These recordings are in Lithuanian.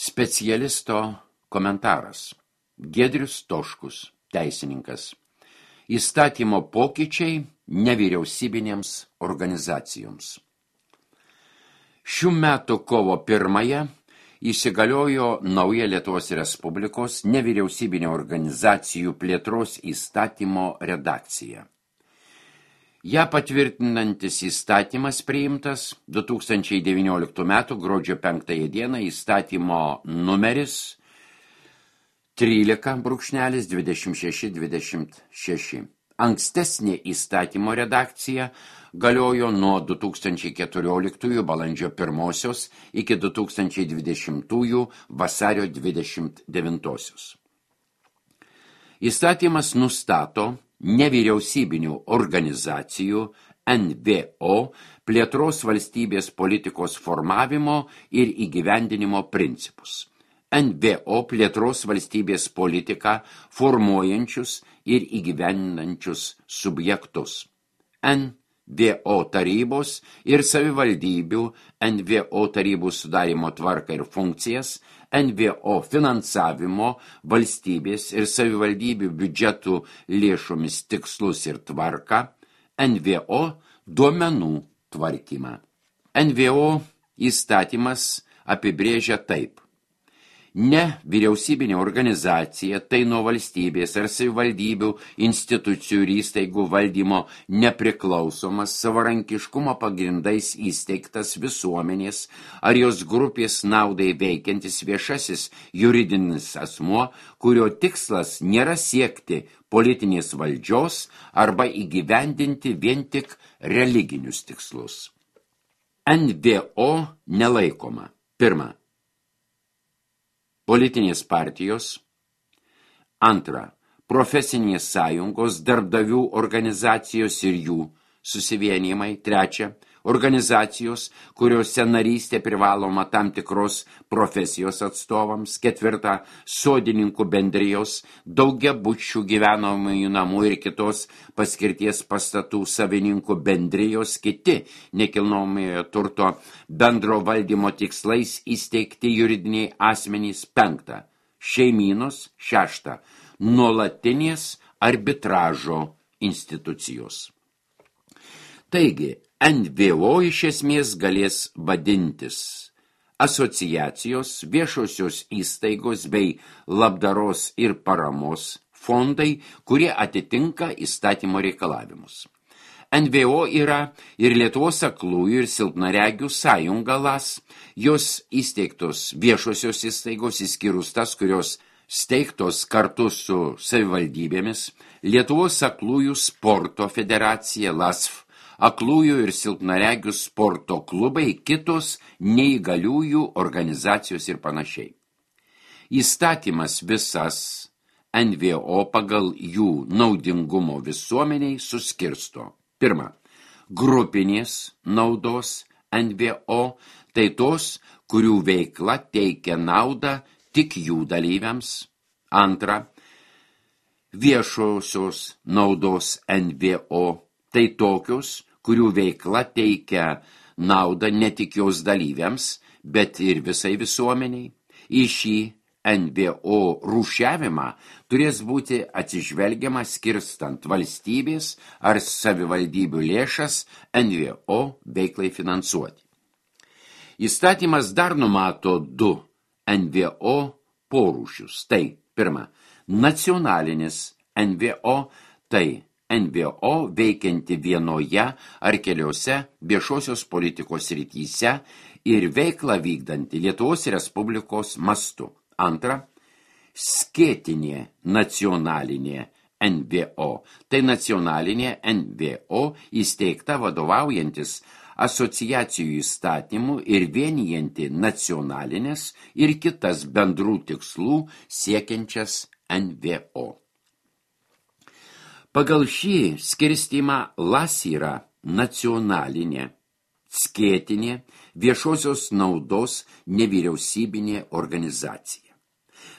Specialisto komentaras. Giedrius Toškus, teisininkas. Įstatymo pokyčiai nevyriausybinėms organizacijoms. Šių metų kovo 1 įsigaliojo nauja Lietuvos Respublikos nevyriausybinio organizacijų plėtros įstatymo redakcija. Ja patvirtinantis įstatymas priimtas 2019 m. gruodžio 5 d. įstatymo numeris 13/2626. Ankstesnė įstatymo redakcija galiojo nuo 2014 balandžio 1 iki 2020 vasario 29. Įstatymas nustato nevyriausybinių organizacijų NVO plėtros valstybės politikos formavimo ir įgyvendinimo principus. NVO plėtros valstybės politiką formuojančius ir įgyvendinančius subjektus. NVO tarybos ir savivaldybių NVO tarybų sudarimo tvarką ir funkcijas, NVO finansavimo, valstybės ir savivaldybių biudžetų lėšomis tikslus ir tvarką, NVO duomenų tvarkymą. NVO įstatymas apibrėžia taip. Ne vyriausybinė organizacija, tai nuo valstybės ar savivaldybių institucijų ir įstaigų valdymo nepriklausomas savarankiškumo pagrindais įsteigtas visuomenės ar jos grupės naudai veikiantis viešasis juridinis asmuo, kurio tikslas nėra siekti politinės valdžios arba įgyvendinti vien tik religinius tikslus. NVO nelaikoma. 1. Politinės partijos. 2. Profesinės sąjungos, darbdavių organizacijos ir jų susivienijimai. 3. Organizacijos, kuriuose narystė privaloma tam tikros profesijos atstovams. 4. Sodininkų bendrijos, daugiabučių gyvenamųjų namų ir kitos paskirties pastatų savininkų bendrijos, kiti nekilnojamojo turto bendro valdymo tikslais įsteigti juridiniai asmenys. 5. Šeimynos. 6. Nuolatinės arbitražo institucijos. Taigi, NVO iš esmės galės vadintis asociacijos, viešosios įstaigos bei labdaros ir paramos fondai, kurie atitinka įstatymo reikalavimus. NVO yra ir Lietuvos aklųjų ir silpnaregių sąjunga LAS, jos įsteigtos viešosios įstaigos, išskyrus tas, kurios steigtos kartu su savivaldybėmis, Lietuvos aklųjų sporto federacija LASF, aklųjų ir silpnaregių sporto klubai, kitos neįgaliųjų organizacijos ir panašiai. Įstatymas visas NVO pagal jų naudingumo visuomeniai suskirsto. 1. Grupinės naudos NVO, tai tos, kurių veikla teikia naudą tik jų dalyviams. 2. Viešosios naudos NVO, tai tokios, kurių veikla teikia naudą ne tik jos dalyviams, bet ir visai visuomeniai. Į šį NVO rūšiavimą turės būti atsižvelgiama skirstant valstybės ar savivaldybių lėšas NVO veiklai finansuoti. Įstatymas dar numato 2 NVO porūšius. Tai 1. Nacionalinis NVO, tai NVO veikianti vienoje ar keliose viešosios politikos srityse ir veiklą vykdanti Lietuvos Respublikos mastu. 2. Skėtinė nacionalinė NVO, tai nacionalinė NVO įsteigta vadovaujantis asociacijų įstatymų ir vienijanti nacionalinės ir kitas bendrų tikslų siekiančias NVO. Pagal šį skirstymą LAS yra nacionalinė, skėtinė, viešosios naudos nevyriausybinė organizacija.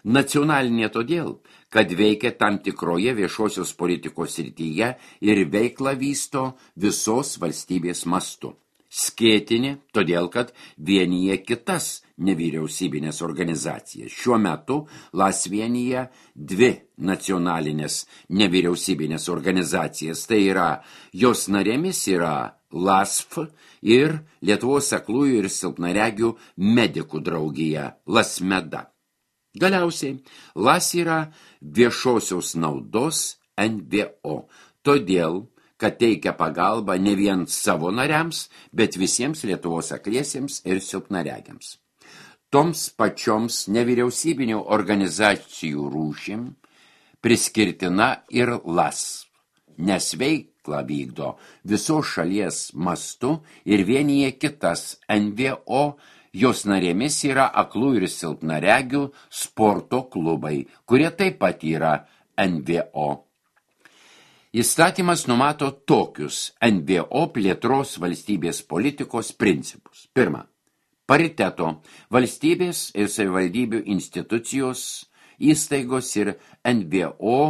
Nacionalinė todėl, kad veikia tam tikroje viešosios politikos srityje ir veiklą vysto visos valstybės mastu. skėtinė, todėl kad vienyje kitas nevyriausybinės organizacijas. Šiuo metu LAS vienyje dvi nacionalinės nevyriausybinės organizacijas. Tai yra, jos narėmis yra LASF ir Lietuvos aklųjų ir silpnaregių medikų draugija LASMEDA. Galiausiai, LAS yra viešosios naudos NVO, todėl, kad teikia pagalbą ne vien savo nariams, bet visiems Lietuvos akliesiems ir silpnaregiams. Toms pačioms nevyriausybinių organizacijų rūšim priskirtina ir LAS, nes veiklą vykdo visos šalies mastu ir vienyje kitas NVO. Jos narėmis yra aklų ir silpnaregių sporto klubai, kurie taip pat yra NVO. Įstatymas numato tokius NVO plėtros valstybės politikos principus. Pirma, pariteto valstybės ir savivaldybių institucijos, įstaigos ir NVO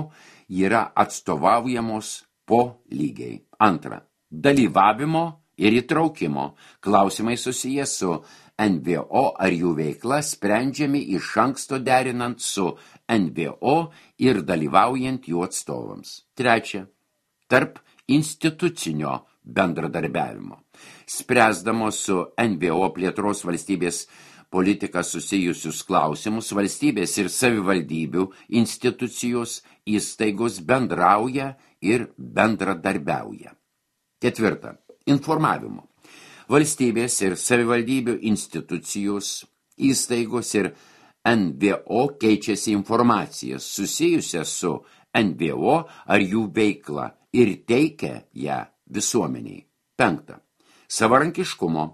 yra atstovaujamos po lygiai. Antra, dalyvavimo ir įtraukimo klausimai susiję su NVO ar jų veikla sprendžiami iš anksto derinant su NVO ir dalyvaujant jų atstovams. Trečia, tarp institucinio bendradarbiavimo. Spręsdamos su NVO plėtros valstybės politika susijusius klausimus, valstybės ir savivaldybių institucijos įstaigos bendrauja ir bendradarbiauja. Ketvirta, informavimo. Valstybės ir savivaldybių institucijos, įstaigos ir NVO keičiasi informaciją susijusią su NVO ar jų veikla ir teikia ją visuomeniai. Penkta, savarankiškumo.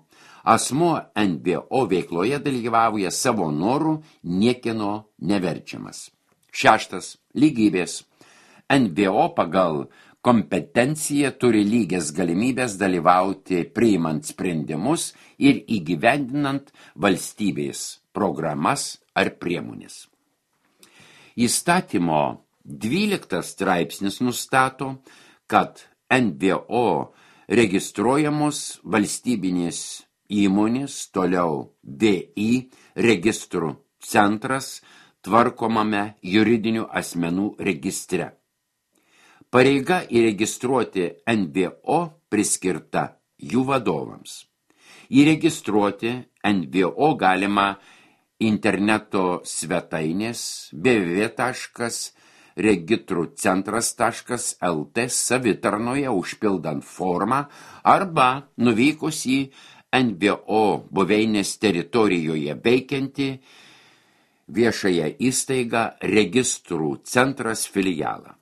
Asmuo NVO veikloje dalyvauja savo norų, niekieno neverčiamas. Šeštas, lygybės. NVO pagal kompetencija turi lygias galimybės dalyvauti priimant sprendimus ir įgyvendinant valstybės programas ar priemonės. Įstatymo 12 straipsnis nustato, kad NVO registruojamos valstybinės įmonės, toliau VI registrų centras tvarkomame juridinių asmenų registre. Pareiga įregistruoti NVO priskirta jų vadovams. Įregistruoti NVO galima interneto svetainės www.registrucentras.lt savitarnoje užpildant formą arba nuvykus į NVO buveinės teritorijoje veikianti viešąją įstaigą Registrų centras filialą.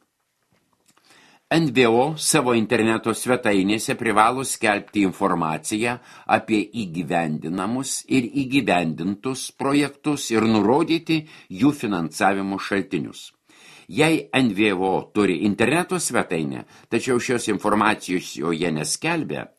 NVO savo interneto svetainėse privalo skelbti informaciją apie įgyvendinamus ir įgyvendintus projektus ir nurodyti jų finansavimo šaltinius. Jei NVO turi interneto svetainę, tačiau šios informacijos joje neskelbia,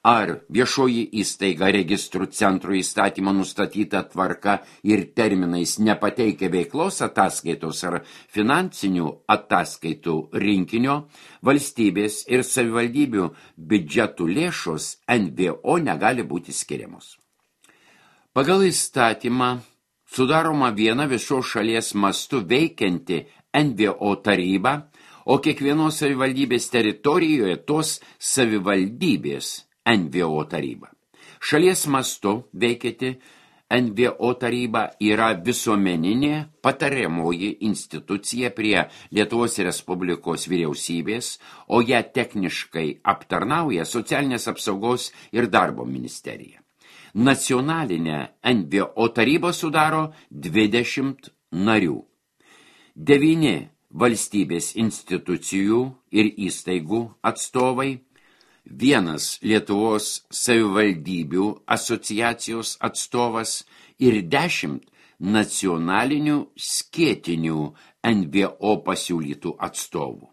ar viešoji įstaiga registrų centro įstatymo nustatyta tvarka ir terminais nepateikia veiklos ataskaitos ar finansinių ataskaitų rinkinio, valstybės ir savivaldybių biudžetų lėšos NVO negali būti skiriamos. Pagal įstatymą sudaroma viena visos šalies mastu veikianti NVO taryba, o kiekvienos savivaldybės teritorijoje tos savivaldybės NVO taryba. Šalies mastu veikianti NVO taryba yra visuomeninė patariamoji institucija prie Lietuvos Respublikos vyriausybės, o ją techniškai aptarnauja Socialinės apsaugos ir darbo ministerija. Nacionalinė NVO taryba sudaro 20 narių. 9 valstybės institucijų ir įstaigų atstovai, 1 Lietuvos savivaldybių asociacijos atstovas ir 10 nacionalinių skėtinių NVO pasiūlytų atstovų.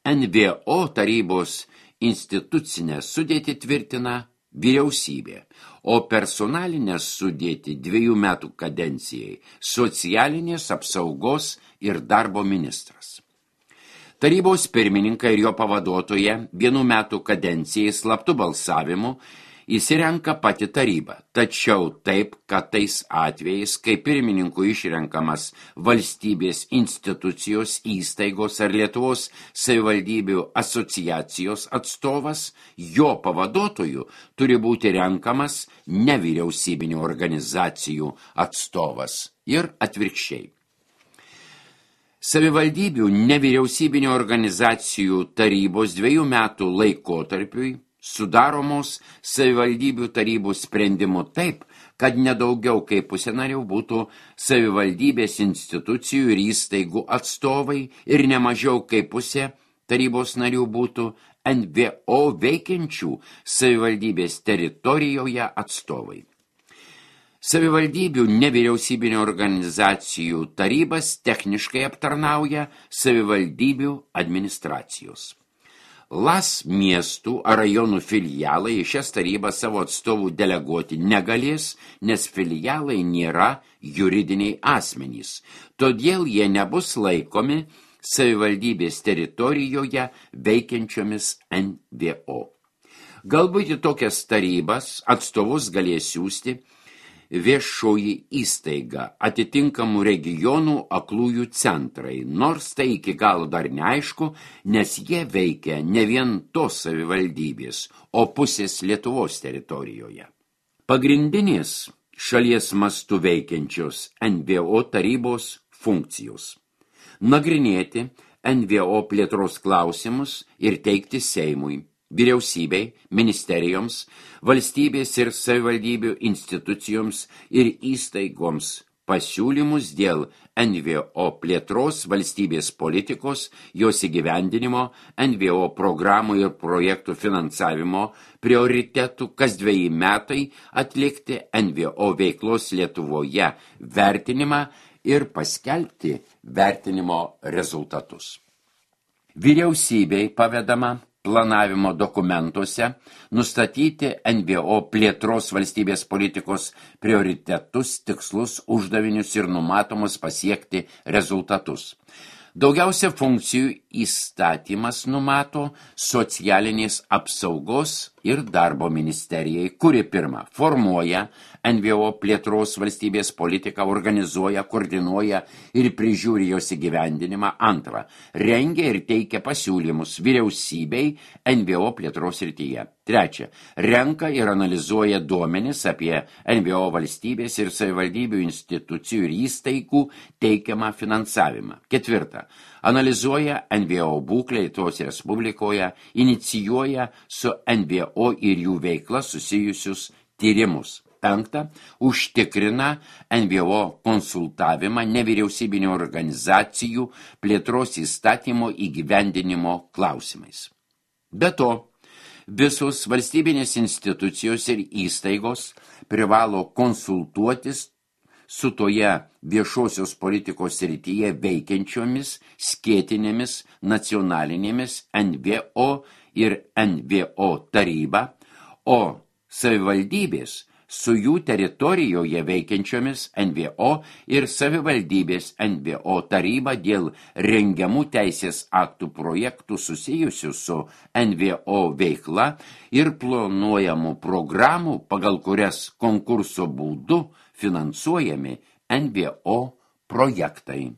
NVO tarybos institucinę sudėtį tvirtina vyriausybė, o personalinę sudėtį 2 metų kadencijai socialinės apsaugos ir darbo ministras. Tarybos pirmininką ir jo pavaduotoją 1 metų kadencijai slaptu balsavimu įsirenka pati taryba, tačiau taip, kad tais atvejais, kai pirmininku išrenkamas valstybės institucijos, įstaigos ar Lietuvos savivaldybių asociacijos atstovas, jo pavaduotoju turi būti renkamas nevyriausybinių organizacijų atstovas ir atvirkščiai. Savivaldybių nevyriausybinių organizacijų tarybos 2 metų laikotarpiui sudaromos savivaldybių tarybų sprendimu taip, kad nedaugiau kaip pusė narių būtų savivaldybės institucijų ir įstaigų atstovai ir nemažiau kaip pusė tarybos narių būtų NVO veikiančių savivaldybės teritorijoje atstovai. Savivaldybių nevyriausybinių organizacijų tarybas techniškai aptarnauja savivaldybių administracijos. LAS miestų ar rajonų filialai į šias tarybas savo atstovų deleguoti negalės, nes filialai nėra juridiniai asmenys, todėl jie nebus laikomi savivaldybės teritorijoje veikiančiomis NVO. Galbūt į tokias tarybas atstovus galės siųsti viešoji įstaiga, atitinkamų regionų aklųjų centrai, nors tai iki galo dar neaišku, nes jie veikia ne vien tos savivaldybės, o pusės Lietuvos teritorijoje. Pagrindinės šalies mastu veikiančios NVO tarybos funkcijos – nagrinėti NVO plėtros klausimus ir teikti Seimui, vyriausybei, ministerijoms, valstybės ir savivaldybių institucijoms ir įstaigoms pasiūlymus dėl NVO plėtros, valstybės politikos, jos įgyvendinimo, NVO programų ir projektų finansavimo, prioritetų kas 2 metai atlikti NVO veiklos Lietuvoje vertinimą ir paskelbti vertinimo rezultatus. Vyriausybei pavedama planavimo dokumentuose nustatyti NVO plėtros valstybės politikos prioritetus, tikslus, uždavinius ir numatomus pasiekti rezultatus. Daugiausia funkcijų įstatymas numato socialinės apsaugos ir darbo ministerijai, kuri pirma formuoja NVO plėtros valstybės politiką, organizuoja, koordinuoja ir prižiūri jos įgyvendinimą. Antra, rengia ir teikia pasiūlymus vyriausybei NVO plėtros srityje. Trečia, renka ir analizuoja duomenis apie NVO valstybės ir savivaldybių institucijų ir įstaigų teikiamą finansavimą. Ketvirta, analizuoja NVO būklę Lietuvos Respublikoje, inicijuoja su NVO ir jų veikla susijusius tyrimus. Penkta, užtikrina NVO konsultavimą nevyriausybinių organizacijų plėtros įstatymo įgyvendinimo klausimais. Be to, visos valstybinės institucijos ir įstaigos privalo konsultuotis su toje viešosios politikos srityje veikiančiomis skėtinėmis nacionalinėmis NVO ir NVO taryba, o savivaldybės su jų teritorijoje veikiančiomis NVO ir savivaldybės NVO taryba dėl rengiamų teisės aktų projektų susijusių su NVO veikla ir planuojamų programų, pagal kurias konkurso būdu finansuojami NVO projektai.